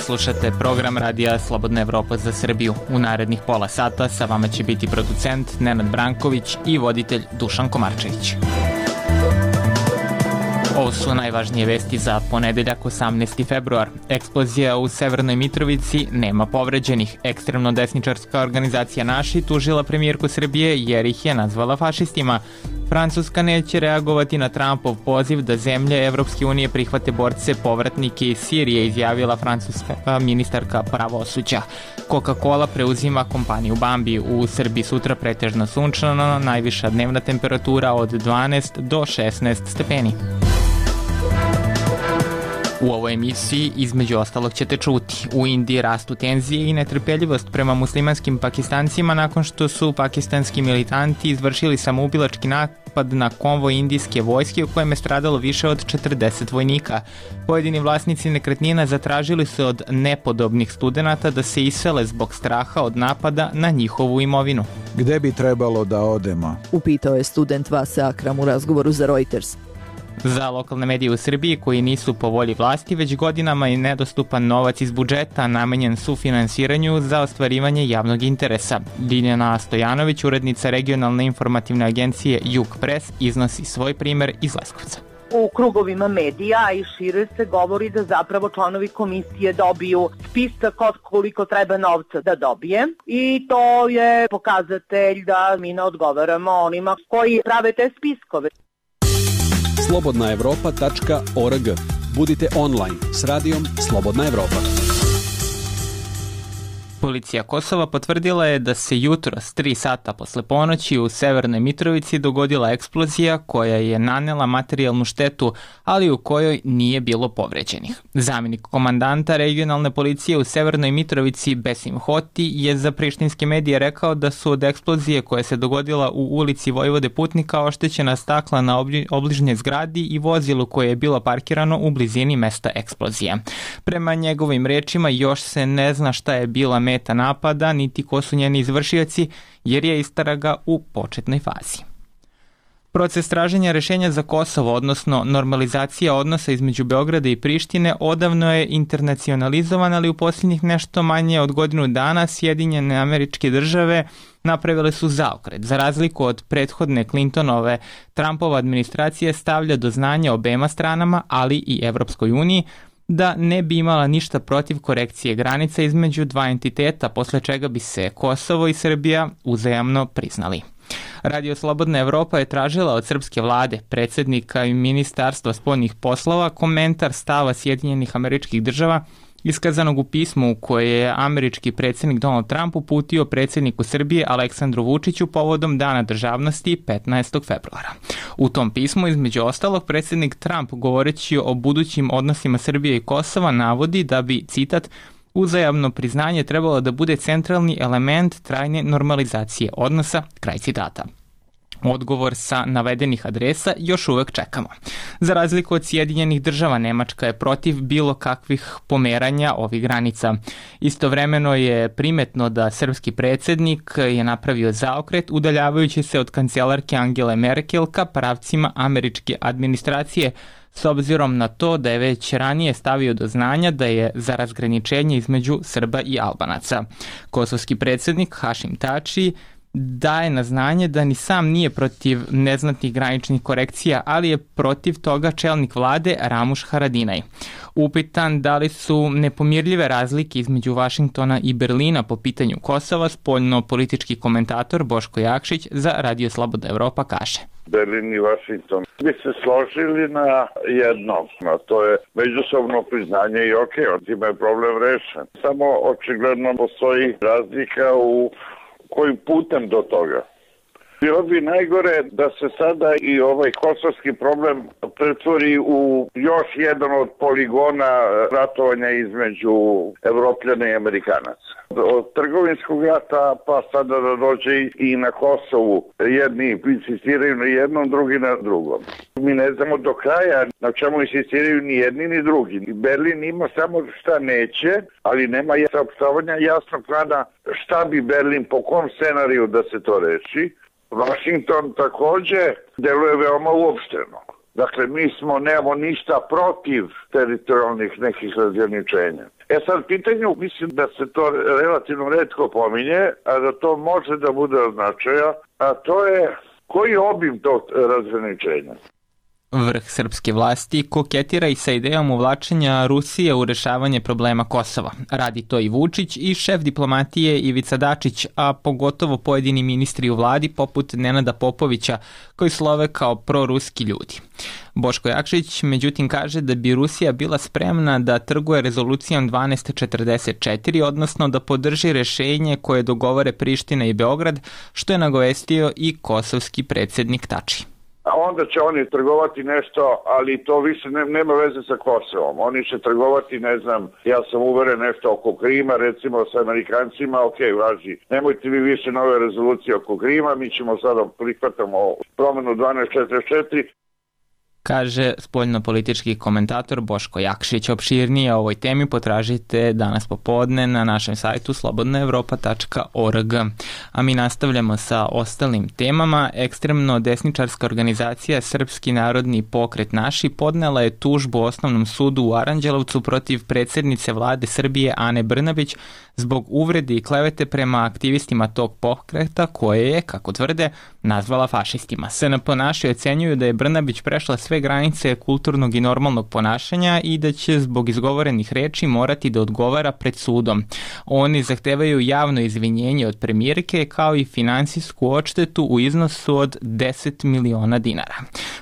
Slušate program Radija Slobodna Evropa za Srbiju. U narednih pola sata sa vama će biti producent Nenad Branković i voditelj Dušan Komarčević. Ovo su najvažnije vesti za ponedeljak 18. februar. Eksplozija u Severnoj Mitrovici, nema povređenih. Ekstremno desničarska organizacija Naši tužila premijerku Srbije jer ih je nazvala fašistima. Francuska neće reagovati na Trumpov poziv da zemlje Evropske unije prihvate borce povratnike iz Sirije, izjavila francuska ministarka pravosuđa. Coca-Cola preuzima kompaniju Bambi. U Srbiji sutra pretežno sunčano, najviša dnevna temperatura od 12 do 16 stepeni. U ovoj emisiji između ostalog ćete čuti. U Indiji rastu tenzije i netrpeljivost prema muslimanskim Pakistancima nakon što su pakistanski militanti izvršili samoubilački napad na konvoj indijske vojske u kojem je stradalo više od 40 vojnika. Pojedini vlasnici nekretnina zatražili su od nepodobnih studenata da se isele zbog straha od napada na njihovu imovinu. Gde bi trebalo da odemo? Upitao je student Vasa Akram u razgovoru za Reuters. Za lokalne medije u Srbiji koji nisu po volji vlasti, već godinama je nedostupan novac iz budžeta namenjen sufinansiranju za ostvarivanje javnog interesa. Ljiljana Stojanović, urednica regionalne informativne agencije Jug Press, iznosi svoj primer iz Leskovca. U krugovima medija i šire se govori da zapravo članovi komisije dobiju spisak od koliko treba novca da dobije i to je pokazatelj da mi ne odgovaramo onima koji prave te spiskove. slobodnaevropa.org. Budite online s radijom Slobodna Evropa. Policija Kosova potvrdila je da se jutros 3 sata posle ponoći u Severnoj Mitrovici dogodila eksplozija koja je nanela materijalnu štetu, ali u kojoj nije bilo povređenih. Zamenik komandanta regionalne policije u Severnoj Mitrovici Besim Hoti je za prištinske medije rekao da su od eksplozije koja se dogodila u ulici Vojvode Putnika oštećena stakla na obližnjoj zgradi i vozilu koje je bilo parkirano u blizini mesta eksplozije. Prema njegovim rečima još se ne zna šta je bila meta napada, niti ko su njeni izvršioci, jer je istraga u početnoj fazi. Proces traženja rešenja za Kosovo, odnosno normalizacija odnosa između Beograda i Prištine, odavno je internacionalizovan, ali u posljednjih nešto manje od godinu dana Sjedinjene Američke Države napravile su zaokret. Za razliku od prethodne Clintonove, Trumpova administracija stavlja do znanja obema stranama, ali i Evropskoj uniji, da ne bi imala ništa protiv korekcije granica između dva entiteta, posle čega bi se Kosovo i Srbija uzajamno priznali. Radio Slobodna Evropa je tražila od srpske vlade, predsjednika i ministarstva spoljnih poslova komentar stava Sjedinjenih Američkih Država iskazanog u pismu u koje je američki predsjednik Donald Trump uputio predsjedniku Srbije Aleksandru Vučiću povodom Dana državnosti 15. februara. U tom pismu, između ostalog, predsjednik Trump, govoreći o budućim odnosima Srbije i Kosova, navodi da bi, citat, uzajamno priznanje trebalo da bude centralni element trajne normalizacije odnosa, kraj citata. Odgovor sa navedenih adresa još uvek čekamo. Za razliku od Sjedinjenih Država, Nemačka je protiv bilo kakvih pomeranja ovih granica. Istovremeno je primetno da srpski predsjednik je napravio zaokret udaljavajući se od kancelarke Angele Merkel ka pravcima američke administracije, s obzirom na to da je već ranije stavio do znanja da je za razgraničenje između Srba i Albanaca. Kosovski predsjednik Hašim Tači daje na znanje da ni sam nije protiv neznatnih graničnih korekcija, ali je protiv toga čelnik vlade Ramuš Haradinaj. Upitan da li su nepomirljive razlike između Vašingtona i Berlina po pitanju Kosova, spoljno-politički komentator Boško Jakšić za Radio Slobodna Evropa kaže: Berlin i Vašington bi se složili na jedno, a to je međusobno priznanje i time je problem rešen. Samo očigledno postoji razlika u kojim putem do toga. Bilo bi najgore da se sada i ovaj kosovski problem pretvori u još jedan od poligona ratovanja između Evropljana i Amerikanaca. Od trgovinskog rata pa sada da dođe i na Kosovu. Jedni insistiraju na jednom, drugi na drugom. Mi ne znamo do kraja na čemu insistiraju ni jedni ni drugi. Berlin ima samo šta neće, ali nema saopštavanja jasnog plana šta bi Berlin, po kom scenariju da se to reši. Washington također deluje veoma uopšteno. Dakle, mi nemamo ništa protiv teritorijalnih nekih razgraničenja. Sad pitanju, mislim da se to relativno retko pominje, a da to može da bude od značaja, a to je koji je obim tog razgraničenja. Vrh srpske vlasti koketira i sa idejom uvlačenja Rusije u rešavanje problema Kosova. Radi to i Vučić i šef diplomatije Ivica Dačić, a pogotovo pojedini ministri u vladi poput Nenada Popovića koji slove kao proruski ljudi. Boško Jakšić međutim kaže da bi Rusija bila spremna da trguje rezolucijom 1244, odnosno da podrži rešenje koje dogovore Priština i Beograd, što je nagovestio i kosovski predsjednik Tači. A onda će oni trgovati nešto, ali to više nema veze sa Kosovom. Oni će trgovati, ne znam, ja sam uveren nešto oko Krima, recimo sa Amerikancima, ok, važi, nemojte vi više nove rezolucije oko Krima, mi ćemo sada prihvatamo promenu 1244. Kaže spoljnopolitički komentator Boško Jakšić. Opširnije o ovoj temi potražite danas popodne na našem sajtu slobodnaevropa.org. A mi nastavljamo sa ostalim temama. Ekstremno desničarska organizacija Srpski narodni pokret Naši podnela je tužbu Osnovnom sudu u Aranđelovcu protiv predsjednice vlade Srbije Ane Brnabić zbog uvrede i klevete prema aktivistima tog pokreta koje je, kako tvrde, nazvala fašistima. SNP Naši ocenjuju da je Brnabić prešla sve granice kulturnog i normalnog ponašanja i da će zbog izgovorenih reči morati da odgovara pred sudom. Oni zahtevaju javno izvinjenje od premijerke kao i finansijsku odštetu u iznosu od 10 miliona dinara.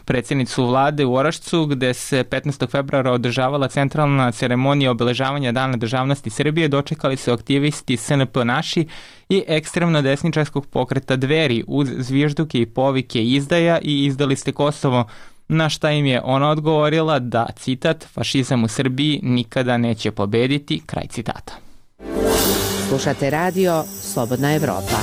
Predsjednicu vlade u Orašcu, gde se 15. februara održavala centralna ceremonija obeležavanja Dana državnosti Srbije, dočekali su aktivisti SNP Naši i ekstremno desničarskog pokreta Dveri uz zvižduke i povike izdaja i izdali ste Kosovo, na šta im je ona odgovorila da, citat, fašizam u Srbiji nikada neće pobediti, kraj citata. Slušate radio Slobodna Evropa.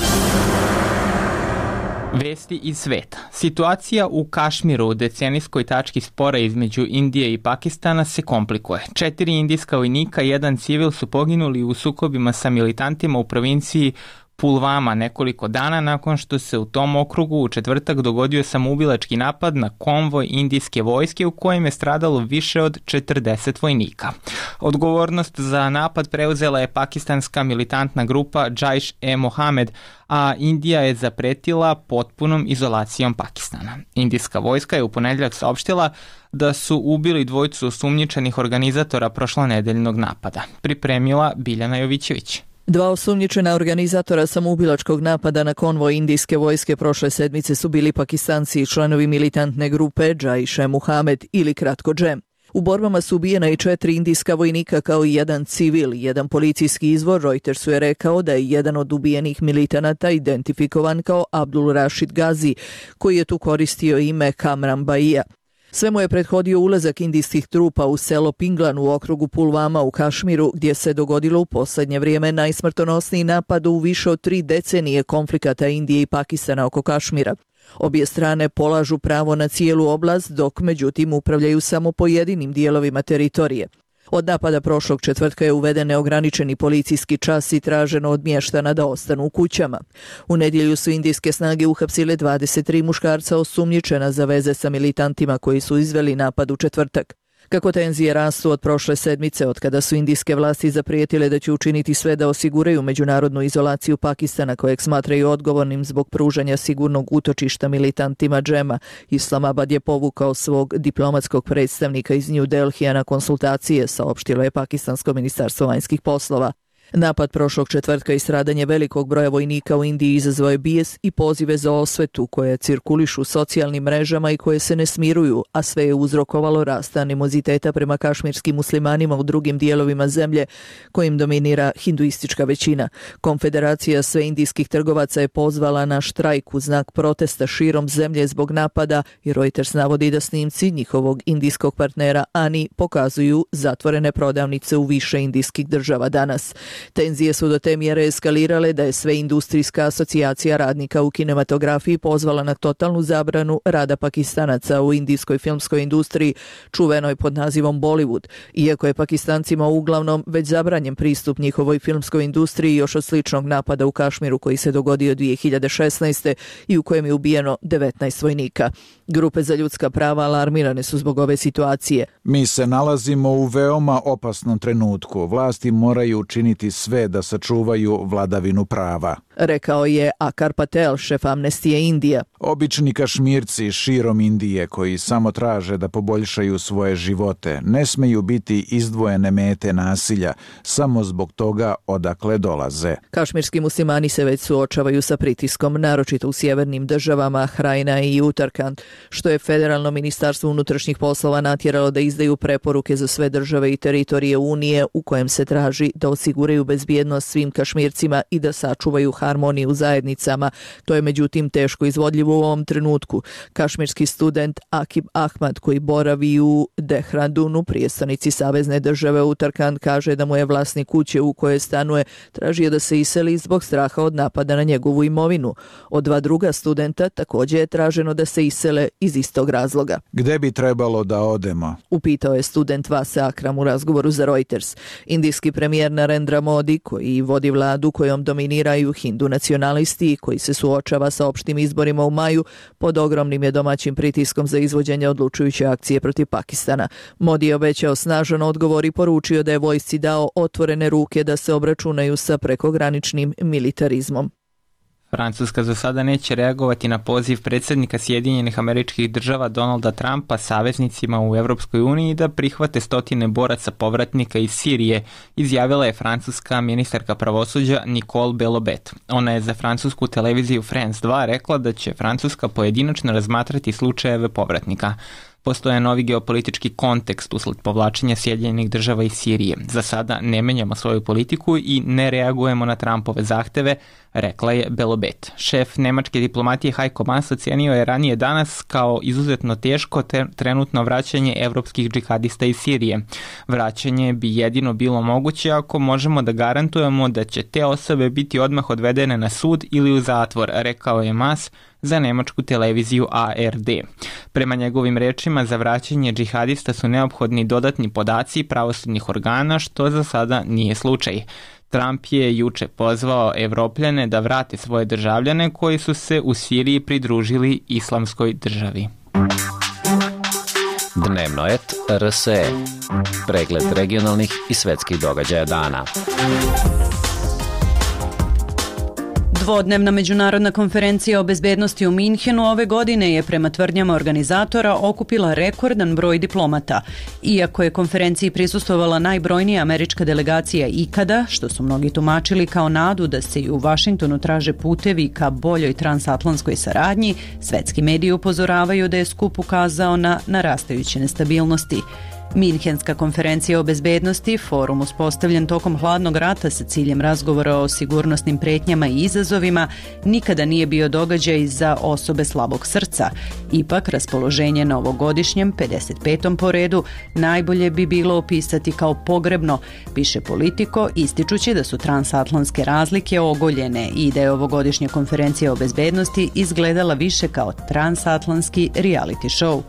Vesti iz sveta. Situacija u Kašmiru, u decenijskoj tački spora između Indije i Pakistana, se komplikuje. 4 indijska vojnika i 1 civil su poginuli u sukobima sa militantima u provinciji Pulvama nekoliko dana nakon što se u tom okrugu u četvrtak dogodio samoubilački napad na konvoj indijske vojske u kojem je stradalo više od 40 vojnika. Odgovornost za napad preuzela je pakistanska militantna grupa Jaiš-e-Mohamed, a Indija je zapretila potpunom izolacijom Pakistana. Indijska vojska je u ponedjeljak saopštila da su ubili 2 osumnjičenih organizatora prošlonedeljnog napada. Pripremila Biljana Jovićević. 2 osumnjičena organizatora samoubilačkog napada na konvoj indijske vojske prošle sedmice su bili Pakistanci i članovi militantne grupe Jaiš-e-Mohamed ili kratko Džem. U borbama su ubijena i 4 indijska vojnika kao i 1 civil. Jedan policijski izvor Reutersu je rekao da je jedan od ubijenih militanata identifikovan kao Abdul Rashid Gazi, koji je tu koristio ime Kamran Baija. Sve mu je prethodio ulazak indijskih trupa u selo Pinglan u okrugu Pulvama u Kašmiru, gdje se dogodilo u posljednje vrijeme najsmrtonosniji napad u više od 3 decenije konflikata Indije i Pakistana oko Kašmira. Obje strane polažu pravo na cijelu oblast, dok međutim upravljaju samo pojedinim dijelovima teritorije. Od napada prošlog četvrtka je uveden neograničeni policijski čas i traženo od mještana da ostanu u kućama. U nedjelju su indijske snage uhapsile 23 muškarca osumnjičena za veze sa militantima koji su izveli napad u četvrtak. Kako tenzije rastu od prošle sedmice, od kada su indijske vlasti zaprijetile da će učiniti sve da osiguraju međunarodnu izolaciju Pakistana, kojeg smatraju odgovornim zbog pružanja sigurnog utočišta militantima Džema, Islamabad je povukao svog diplomatskog predstavnika iz New Delhija na konsultacije, saopštilo je pakistansko ministarstvo vanjskih poslova. Napad prošlog četvrtka i stradanje velikog broja vojnika u Indiji izazvao je bijes i pozive za osvetu koje cirkulišu socijalnim mrežama i koje se ne smiruju, a sve je uzrokovalo rast animoziteta prema kašmirskim muslimanima u drugim dijelovima zemlje kojim dominira hinduistička većina. Konfederacija sve indijskih trgovaca je pozvala na štrajk u znak protesta širom zemlje zbog napada i Reuters navodi da snimci njihovog indijskog partnera Ani pokazuju zatvorene prodavnice u više indijskih država danas. Tenzije su do te mjere eskalirale da je sve industrijska asocijacija radnika u kinematografiji pozvala na totalnu zabranu rada Pakistanaca u indijskoj filmskoj industriji, čuvenoj pod nazivom Bollywood, iako je Pakistancima uglavnom već zabranjen pristup njihovoj filmskoj industriji još od sličnog napada u Kašmiru koji se dogodio 2016. i u kojem je ubijeno 19 vojnika. Grupe za ljudska prava alarmirane su zbog ove situacije. Mi se nalazimo u veoma opasnom trenutku. Vlasti moraju učiniti sve da sačuvaju vladavinu prava, rekao je Akar Patel, šef Amnestije Indija. Obični Kašmirci širom Indije koji samo traže da poboljšaju svoje živote ne smeju biti izdvojene mete nasilja samo zbog toga odakle dolaze. Kašmirski muslimani se već suočavaju sa pritiskom, naročito u sjevernim državama Hrajna i Utarkand, što je Federalno ministarstvo unutrašnjih poslova natjeralo da izdaju preporuke za sve države i teritorije Unije u kojem se traži da osiguraju bezbjednost svim Kašmircima i da sačuvaju harmoniju u zajednicama. To je međutim teško izvodljivo u ovom trenutku. Kašmirski student Akib Ahmad koji boravi u Dehrandunu, prijestolnici savezne države Utarkand, kaže da mu je vlasnik kuće u kojoj stanuje tražio da se iseli zbog straha od napada na njegovu imovinu. Od dva druga studenta također je traženo da se isele iz istog razloga. Gde bi trebalo da odemo? Upitao je student Vase Akram u razgovoru za Reuters. Indijski premijer Narendra Modi, koji vodi vladu kojom dominiraju hindu nacionalisti i koji se suočava sa opštim izborima u maju, pod ogromnim je domaćim pritiskom za izvođenje odlučujuće akcije protiv Pakistana. Modi je obećao snažan odgovor i poručio da je vojsci dao otvorene ruke da se obračunaju sa prekograničnim militarizmom. Francuska za sada neće reagovati na poziv predsjednika Sjedinjenih Američkih Država Donalda Trumpa saveznicima u Europskoj uniji da prihvate stotine boraca povratnika iz Sirije, izjavila je francuska ministarka pravosuđa Nicole Belloubet. Ona je za francusku televiziju France 2 rekla da će Francuska pojedinačno razmatrati slučajeve povratnika. Postoje novi geopolitički kontekst usled povlačenja Sjedinjenih Država iz Sirije. Za sada ne menjamo svoju politiku i ne reagujemo na Trumpove zahteve, rekla je Belloubet. Šef nemačke diplomatije Heiko Maas ocenio je ranije danas kao izuzetno teško trenutno vraćanje evropskih džihadista iz Sirije. Vraćanje bi jedino bilo moguće ako možemo da garantujemo da će te osobe biti odmah odvedene na sud ili u zatvor, rekao je Maas za nemačku televiziju ARD. Prema njegovim rečima, za vraćanje džihadista su neophodni dodatni podaci pravosudnih organa, što za sada nije slučaj. Trump je juče pozvao Evropljane da vrate svoje državljane koji su se u Siriji pridružili Islamskoj državi. Dnevnoet RSE. Pregled regionalnih i svetskih događaja dana. Dvodnevna međunarodna konferencija o bezbednosti u Minhenu ove godine je prema tvrdnjama organizatora okupila rekordan broj diplomata. Iako je konferenciji prisustvovala najbrojnija američka delegacija ikada, što su mnogi tumačili kao nadu da se i u Vašingtonu traže putevi ka boljoj transatlantskoj saradnji, svetski mediji upozoravaju da je skup ukazao na narastajuće nestabilnosti. Minhenska konferencija o bezbednosti, forum uspostavljen tokom hladnog rata sa ciljem razgovora o sigurnosnim pretnjama i izazovima, nikada nije bio događaj za osobe slabog srca. Ipak, raspoloženje na ovogodišnjem, 55. po redu, najbolje bi bilo opisati kao pogrebno, piše Politico, ističući da su transatlantske razlike ogoljene i da je ovogodišnja konferencija o bezbednosti izgledala više kao transatlantski reality show.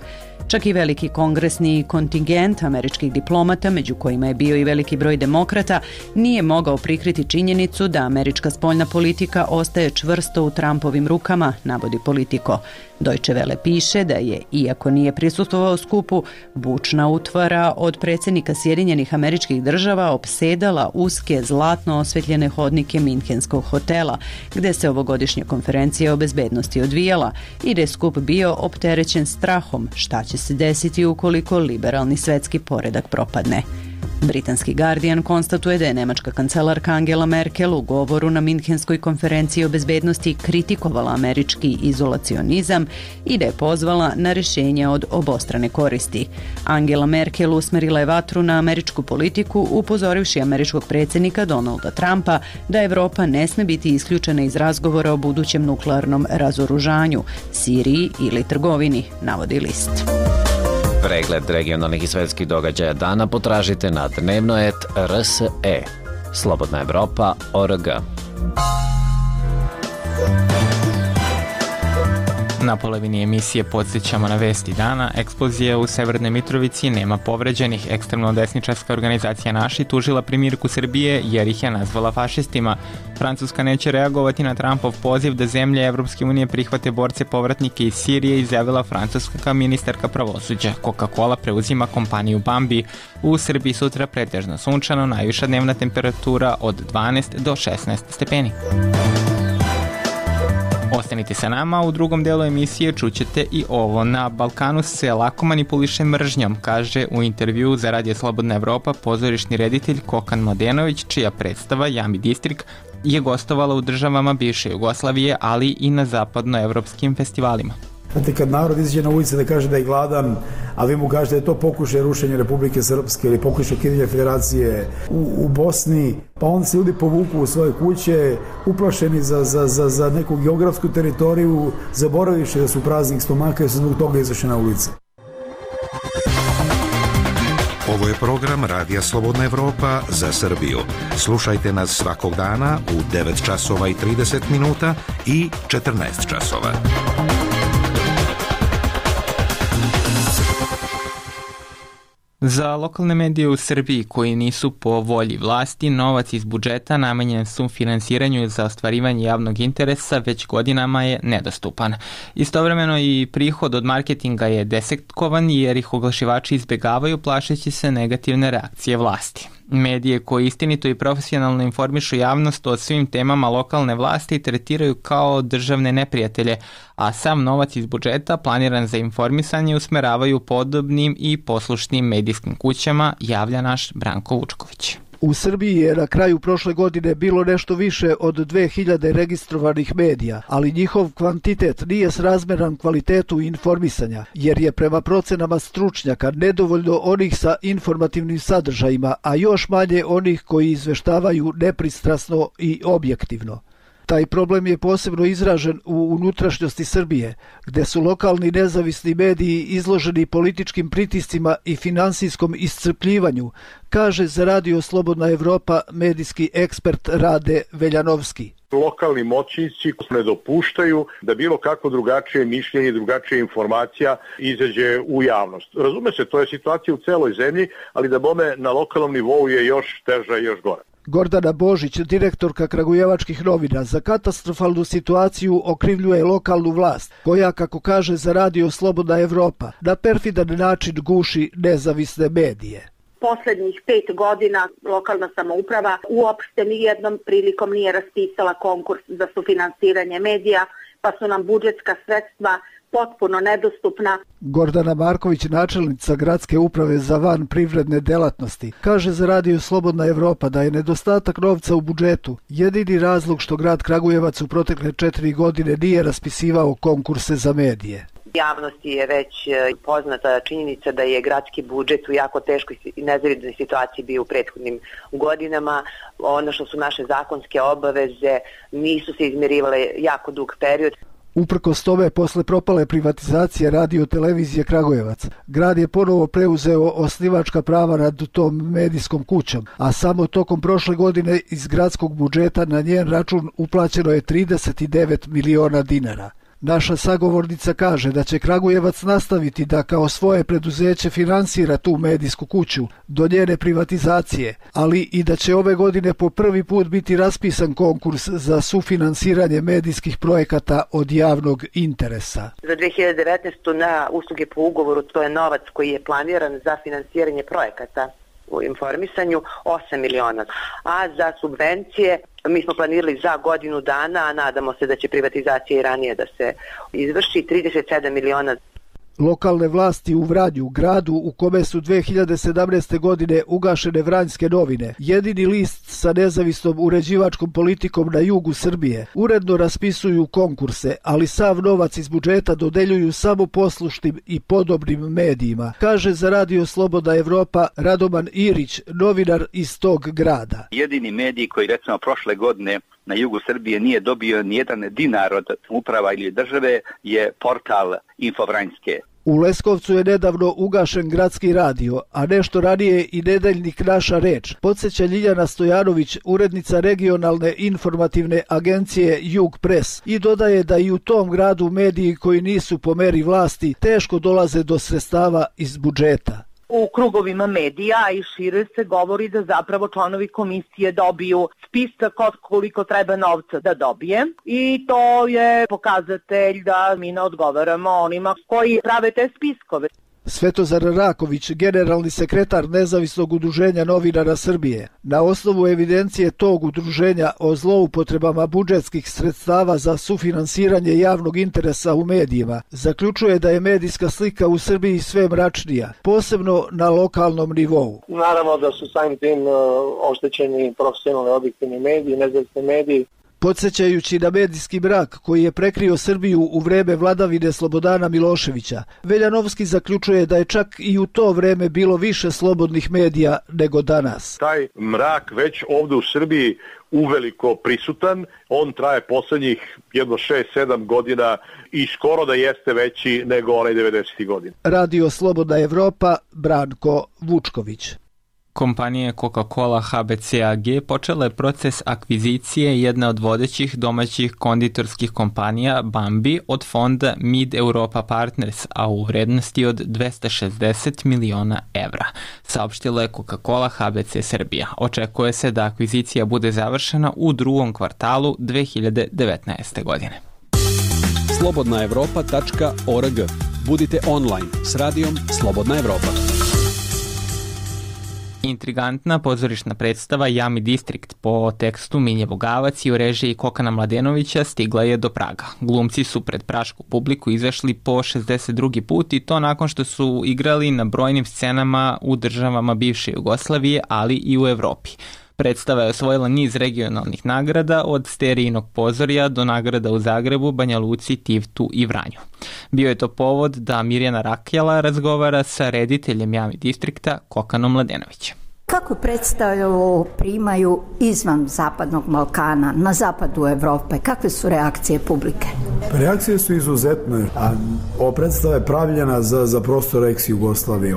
Čak i veliki kongresni kontingent američkih diplomata, među kojima je bio i veliki broj demokrata, nije mogao prikriti činjenicu da američka spoljna politika ostaje čvrsto u Trumpovim rukama, navodi Politico. Deutsche Welle piše da je, iako nije prisustvovao skupu, bučna utvara od predsjednika Sjedinjenih Američkih Država opsedala uske zlatno osvetljene hodnike Minhenskog hotela, gde se ovogodišnja konferencija o bezbednosti odvijala i da je skup bio opterećen strahom šta će se desiti ukoliko liberalni svetski poredak propadne. Britanski Guardian konstatuje da je nemačka kancelarka Angela Merkel u govoru na Minhenskoj konferenciji o bezbednosti kritikovala američki izolacionizam i da je pozvala na rješenje od obostrane koristi. Angela Merkel usmerila je vatru na američku politiku, upozorivši američkog predsjednika Donalda Trumpa da Evropa ne sme biti isključena iz razgovora o budućem nuklearnom razoružanju, Siriji ili trgovini, navodi list. Pregled regionalnih i svetskih događaja dana potražite na Dnevnoet RSE. slobodnaevropa.org. Na polovini emisije podsjećamo na vesti dana. Eksplozija u Severnoj Mitrovici, nema povređenih. Ekstremno desničarska organizacija Naši tužila premijerku Srbije jer ih je nazvala fašistima. Francuska neće reagovati na Trumpov poziv da zemlje Evropske unije prihvate borce povratnike iz Sirije, izjavila francuska ministarka pravosuđa. Coca-Cola preuzima kompaniju Bambi. U Srbiji sutra pretežno sunčano, najviša dnevna temperatura od 12 do 16 stepeni. Ostanite sa nama, u drugom delu emisije čućete i ovo. Na Balkanu se lako manipuliše mržnjom, kaže u intervjuu za Radio Slobodna Evropa pozorišni reditelj Kokan Mladenović, čija predstava Jami Distrik je gostovala u državama bivše Jugoslavije, ali i na zapadnoevropskim festivalima. Znate, kad narod izađe na ulici da kaže da je gladan, a vi mu kažete da je to pokušaj rušenja Republike Srpske ili pokušaj ukidanja federacije u Bosni, pa onda se ljudi povuku u svoje kuće, uplašeni za neku geografsku teritoriju, zaboraviše da su praznih stomaka i su zbog toga izašli na ulici. Ovo je program Radija Slobodna Evropa za Srbiju. Slušajte nas svakog dana u 9 časova i 30 minuta i 14 časova. Za lokalne medije u Srbiji koji nisu po volji vlasti, novac iz budžeta namenjen sufinansiranju za ostvarivanje javnog interesa već godinama je nedostupan. Istovremeno i prihod od marketinga je desetkovan jer ih oglašivači izbegavaju plašeći se negativne reakcije vlasti. Medije koji istinito i profesionalno informišu javnost o svim temama lokalne vlasti tretiraju kao državne neprijatelje, a sam novac iz budžeta planiran za informisanje usmeravaju podobnim i poslušnim medijskim kućama, javlja naš Branko Vučković. U Srbiji je na kraju prošle godine bilo nešto više od 2000 registrovanih medija, ali njihov kvantitet nije srazmeran kvalitetu informisanja, jer je prema procenama stručnjaka nedovoljno onih sa informativnim sadržajima, a još manje onih koji izveštavaju nepristrasno i objektivno. Taj problem je posebno izražen u unutrašnjosti Srbije, gde su lokalni nezavisni mediji izloženi političkim pritiscima i finansijskom iscrpljivanju, kaže za Radio Slobodna Evropa medijski ekspert Rade Veljanovski. Lokalni moćnici ne dopuštaju da bilo kako drugačije mišljenje, drugačija informacija izađe u javnost. Razume se, to je situacija u celoj zemlji, ali da bome na lokalnom nivou je još teža i još gora. Gordana Božić, direktorka Kragujevačkih novina, za katastrofalnu situaciju okrivljuje lokalnu vlast, koja, kako kaže za Radio Slobodna Evropa, na perfidan način guši nezavisne medije. Poslednjih 5 godina lokalna samouprava uopšte nijednom prilikom nije raspisala konkurs za sufinansiranje medija, pa su nam budžetska sredstva potpuno nedostupna. Gordana Marković, načelnica Gradske uprave za van privredne delatnosti, kaže za Radio Slobodna Evropa da je nedostatak novca u budžetu jedini razlog što grad Kragujevac u protekle 4 godine nije raspisivao konkurse za medije. Javnosti je već poznata činjenica da je gradski budžet u jako teškoj i nezavidnoj situaciji bio u prethodnim godinama. Ono što su naše zakonske obaveze nisu se izmirivale jako dug period. Uprkos tome, posle propale privatizacije Radio televizije Kragujevac, grad je ponovo preuzeo osnivačka prava nad tom medijskom kućom, a samo tokom prošle godine iz gradskog budžeta na njen račun uplaćeno je 39 miliona dinara. Naša sagovornica kaže da će Kragujevac nastaviti da kao svoje preduzeće finansira tu medijsku kuću do njene privatizacije, ali i da će ove godine po prvi put biti raspisan konkurs za sufinansiranje medijskih projekata od javnog interesa. Za 2019. na usluge po ugovoru to je novac koji je planiran za finansiranje projekata u informisanju 8 miliona, a za subvencije mi smo planirali za godinu dana, a nadamo se da će privatizacija i ranije da se izvrši, 37 miliona. Lokalne vlasti u Vranju, gradu u kome su 2017. godine ugašene Vranjske novine, jedini list sa nezavisnom uređivačkom politikom na jugu Srbije, uredno raspisuju konkurse, ali sav novac iz budžeta dodeljuju samo poslušnim i podobnim medijima, kaže za Radio Slobodna Evropa Radoman Irić, novinar iz tog grada. Jedini medij koji recimo prošle godine na jugu Srbije nije dobio nijedan dinar od uprava ili države je portal Info Vranjske. U Leskovcu je nedavno ugašen gradski radio, a nešto ranije i nedeljnik Naša reč, podsjeća Ljiljana Stojanović, urednica regionalne informativne agencije Jug Press, i dodaje da i u tom gradu mediji koji nisu po meri vlasti teško dolaze do sredstava iz budžeta. U krugovima medija i šire se govori da zapravo članovi komisije dobiju spisak od koliko treba novca da dobije i to je pokazatelj da mi ne odgovaramo onima koji prave te spiskove. Svetozar Raković, generalni sekretar Nezavisnog udruženja novinara Srbije, na osnovu evidencije tog udruženja o zloupotrebama budžetskih sredstava za sufinansiranje javnog interesa u medijima, zaključuje da je medijska slika u Srbiji sve mračnija, posebno na lokalnom nivou. Naravno da su samim tim oštećeni profesionalni objektivni mediji, nezavisni mediji. Podsjećajući na medijski mrak koji je prekrio Srbiju u vreme vladavine Slobodana Miloševića, Veljanovski zaključuje da je čak i u to vreme bilo više slobodnih medija nego danas. Taj mrak već ovdje u Srbiji uveliko prisutan, on traje poslednjih jedno 6-7 godina i skoro da jeste veći nego onaj 90. godina. Radio Slobodna Evropa, Branko Vučković. Kompanija Coca-Cola HBC AG počela je proces akvizicije jedne od vodećih domaćih konditorskih kompanija Bambi od fonda Mid Europa Partners, a u vrednosti od 260 miliona evra, saopštila je Coca-Cola HBC Srbija. Očekuje se da akvizicija bude završena u drugom kvartalu 2019. godine. slobodnaevropa.org. Budite online s radijom Slobodna Evropa. Intrigantna pozorišna predstava Jami Distrikt po tekstu Minje Bogavac i u režiji Kokana Mladenovića stigla je do Praga. Glumci su pred prašku publiku izašli po 62. put i to nakon što su igrali na brojnim scenama u državama bivše Jugoslavije, ali i u Evropi. Predstava je osvojila niz regionalnih nagrada, od Sterijinog pozorja do nagrada u Zagrebu, Banja Luci, Tivtu i Vranju. Bio je to povod da Mirjana Rakjala razgovara sa rediteljem Jami Distrikta Kokanom Mladenovićem. Kako predstavu primaju izvan Zapadnog Balkana, na zapadu Evrope? Kakve su reakcije publike? Reakcije su izuzetne, a ova predstava je pravljena za prostor ex-Jugoslavije.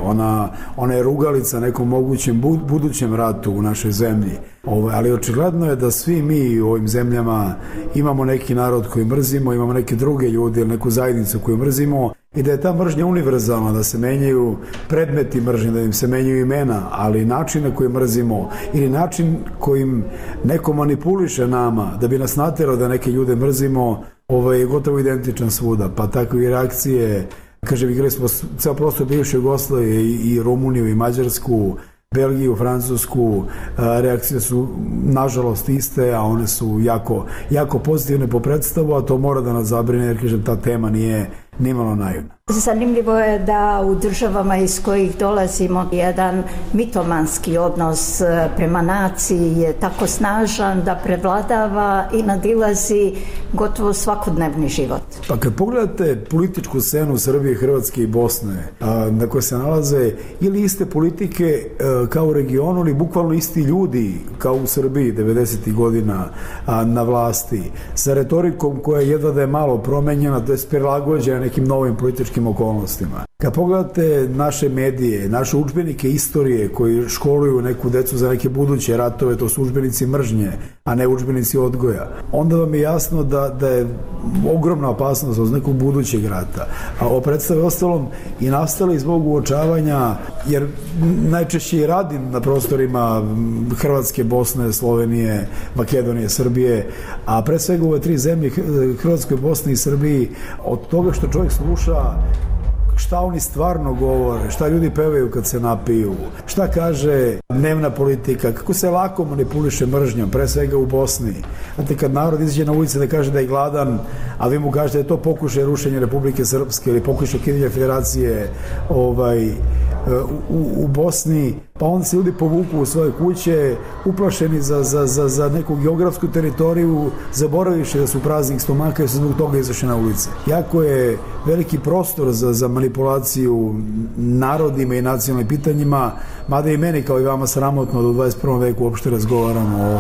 Ona je rugalica nekom mogućem budućem ratu u našoj zemlji. Ali očigledno je da svi mi u ovim zemljama imamo neki narod koji mrzimo, imamo neke druge ljude ili neku zajednicu koju mrzimo i da je ta mržnja univerzalna, da se menjaju predmeti mržnje, da im se menjaju imena, ali način na koji mrzimo ili način kojim neko manipuliše nama da bi nas naterao da neke ljude mrzimo je gotovo identičan svuda. Pa takve reakcije, igrali smo ceo prostor bivše Jugoslavije i Rumuniju i Mađarsku, Belgiju, Francusku, reakcije su nažalost iste, a one su jako pozitivne po predstavu, a to mora da nas zabrine jer ta tema nije nimalo naivna. Zanimljivo je da u državama iz kojih dolazimo jedan mitomanski odnos prema naciji je tako snažan da prevladava i nadilazi gotovo svakodnevni život. Pa kad pogledate političku scenu Srbije, Hrvatske i Bosne, na koje se nalaze ili iste politike kao u regionu, ili bukvalno isti ljudi kao u Srbiji 90. godina na vlasti, sa retorikom koja jedva da je malo promenjena, to je prilagođena nekim novim političkim okolnostima. Kad pogledate naše medije, naše udžbenike istorije koji školuju neku decu za neke buduće ratove, to su udžbenici mržnje, a ne udžbenici odgoja, onda vam je jasno da je ogromna opasnost od nekog budućeg rata. A ovo predstave ostalom i nastale zbog uočavanja, jer najčešće i radim na prostorima Hrvatske, Bosne, Slovenije, Makedonije, Srbije, a pre svega ove tri zemlje, Hrvatskoj, Bosni i Srbiji, od toga što čovjek sluša šta oni stvarno govore, šta ljudi pevaju kad se napiju, šta kaže dnevna politika, kako se lako manipuliše mržnjom, pre svega u Bosni. Znate, kad narod izađe na ulici da kaže da je gladan, a vi mu kažete da je to pokušaj rušenja Republike Srpske ili pokušaj ukidanja federacije u Bosni, pa onda se ljudi povuku u svoje kuće, uplašeni za neku geografsku teritoriju, zaboravivši da su praznih stomaka i su zbog toga izašli na ulice. Jako je veliki prostor za manipulaciju narodima i nacionalnim pitanjima, mada i meni kao i vama sramotno da u 21. veku uopšte razgovaramo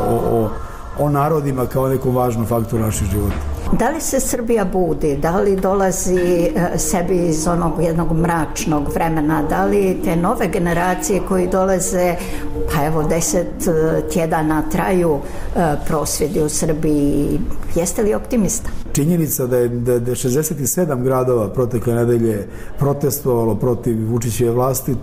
o narodima kao nekom važnom faktoru naših života. Da li se Srbija budi, da li dolazi sebi iz onog jednog mračnog vremena, da li te nove generacije koji dolaze, pa evo 10 tjedana traju prosvjedi u Srbiji, jeste li optimista? Činjenica da je 67 gradova protekle nedelje protestovalo protiv Vučićeve vlasti,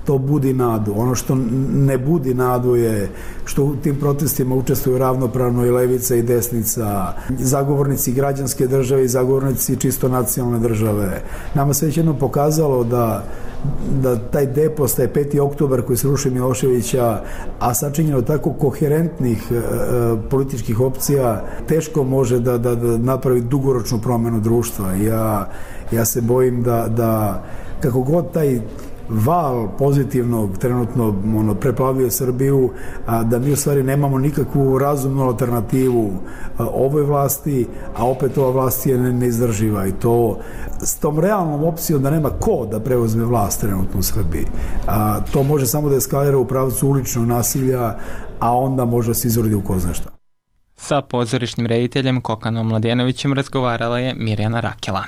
to budi nadu. Ono što ne budi nadu je što u tim protestima učestvuju ravnopravno i levica i desnica, zagovornici građanske države i zagovornici čisto nacionalne države. Nama se već jednom pokazalo da taj depos, taj 5. oktobar koji se ruši Miloševića, a sačinjeno tako koherentnih političkih opcija, teško može da napravi dugoročnu promjenu društva. Ja se bojim da kako god taj val pozitivnog trenutno preplavio Srbiju, da mi u stvari nemamo nikakvu razumnu alternativu ovoj vlasti, a opet ova vlast je neizdrživa i to s tom realnom opcijom da nema ko da preuzme vlast trenutno u Srbiji. To može samo da eskalira u pravcu uličnog nasilja, a onda može se izrodi u ko zna šta. Sa pozorišnim rediteljem Kokanom Mladenovićem razgovarala je Mirjana Rakela.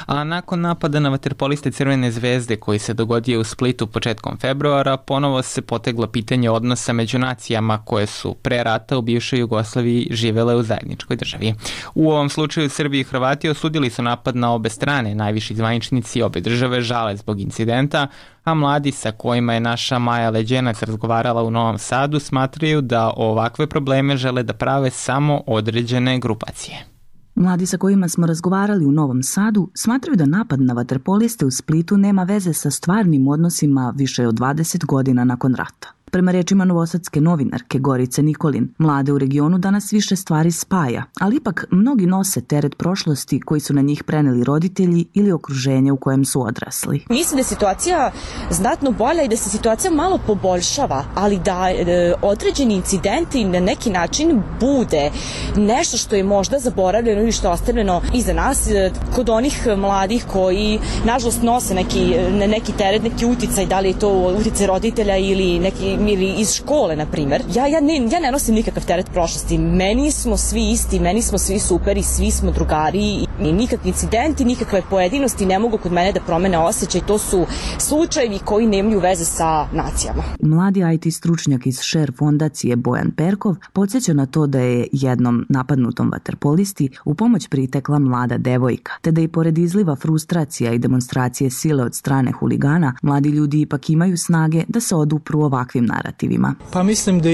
A nakon napada na vaterpoliste Crvene zvezde koji se dogodio u Splitu početkom februara, ponovo se poteglo pitanje odnosa među nacijama koje su pre rata u bivšoj Jugoslaviji živele u zajedničkoj državi. U ovom slučaju Srbi i Hrvati osudili su napad na obe strane, najviši zvaničnici obe države žale zbog incidenta, a mladi sa kojima je naša Maja Leđenac razgovarala u Novom Sadu smatraju da ovakve probleme žele da prave samo određene grupacije. Mladi sa kojima smo razgovarali u Novom Sadu smatraju da napad na vaterpoliste u Splitu nema veze sa stvarnim odnosima više od 20 godina nakon rata. Prema rečima novosadske novinarke Gorice Nikolin, mlade u regionu danas više stvari spaja, ali ipak mnogi nose teret prošlosti koji su na njih preneli roditelji ili okruženje u kojem su odrasli. Mislim da je situacija znatno bolja i da se situacija malo poboljšava, ali da određeni incidenti na neki način bude nešto što je možda zaboravljeno ili što je ostavljeno iza nas kod onih mladih koji nažalost nose neki teret, neki uticaj, da li je to uticaj roditelja ili iz škole, na primjer. Ja ne nosim nikakav teret prošlosti. Meni smo svi isti, meni smo svi super i svi smo drugari i nikakvi incidenti, nikakve pojedinosti ne mogu kod mene da promene osjećaj. To su slučajevi koji nemaju veze sa nacijama. Mladi IT stručnjak iz Share fondacije Bojan Perkov podsjeća na to da je jednom napadnutom vaterpolisti u pomoć pritekla mlada devojka, te da i pored izliva frustracija i demonstracije sile od strane huligana, mladi ljudi ipak imaju snage da se odupru ovakvim narativima. Pa mislim da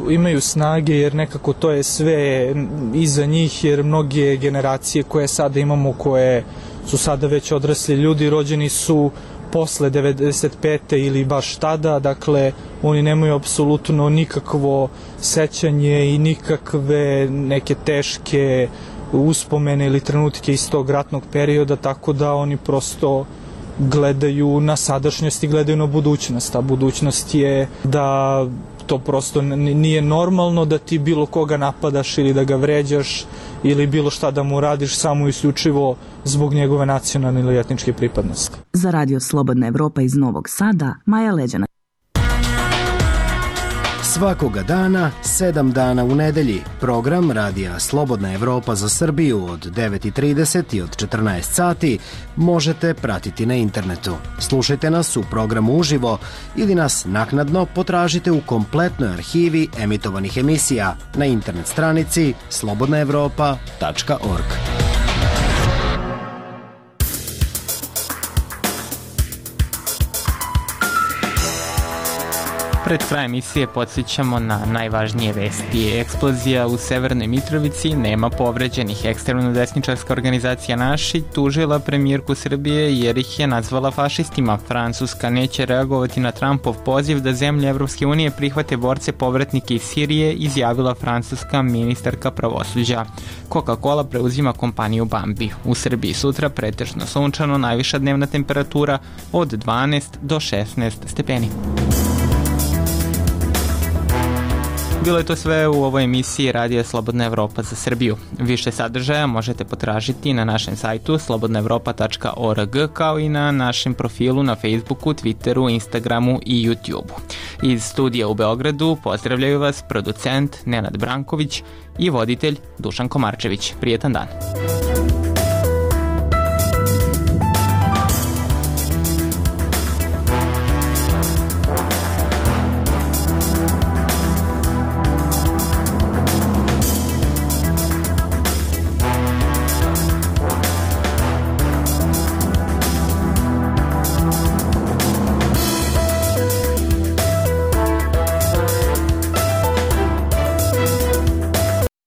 imaju snage jer nekako to je sve iza njih, jer mnoge generacije koje sada imamo, koje su sada već odrasli ljudi, rođeni su posle 95. ili baš tada, dakle oni nemaju apsolutno nikakvo sećanje i nikakve neke teške uspomene ili trenutke iz tog ratnog perioda, tako da oni prosto gledaju na sadašnjost i gledaju na budućnost, a budućnost je da to prosto nije normalno da ti bilo koga napadaš ili da ga vređaš ili bilo šta da mu radiš samo isključivo zbog njegove nacionalne ili etničke pripadnosti. Za Radio Slobodna Evropa iz Novog Sada, Maja Leđenac. Svakoga dana, 7 dana u nedelji, program Radija Slobodna Evropa za Srbiju od 9:30 i od 14 sati možete pratiti na internetu. Slušajte nas u programu uživo ili nas naknadno potražite u kompletnoj arhivi emitovanih emisija na internet stranici slobodnaevropa.org. Pred krajem emisije podsjećamo na najvažnije vesti. Eksplozija u Severnoj Mitrovici, nema povređenih. Ekstremno desničarska organizacija Naši tužila premijerku Srbije jer ih je nazvala fašistima. Francuska neće reagovati na Trumpov poziv da zemlje Evropske unije prihvate borce povratnike iz Sirije, izjavila francuska ministarka pravosuđa. Coca-Cola preuzima kompaniju Bambi. U Srbiji sutra pretežno sunčano, najviša dnevna temperatura od 12 do 16 stepeni. Bilo je to sve u ovoj emisiji Radija Slobodna Evropa za Srbiju. Više sadržaja možete potražiti na našem sajtu slobodnaevropa.org kao i na našem profilu na Facebooku, Twitteru, Instagramu i YouTubeu. Iz studija u Beogradu pozdravljaju vas producent Nenad Branković i voditelj Dušan Komarčević. Prijetan dan.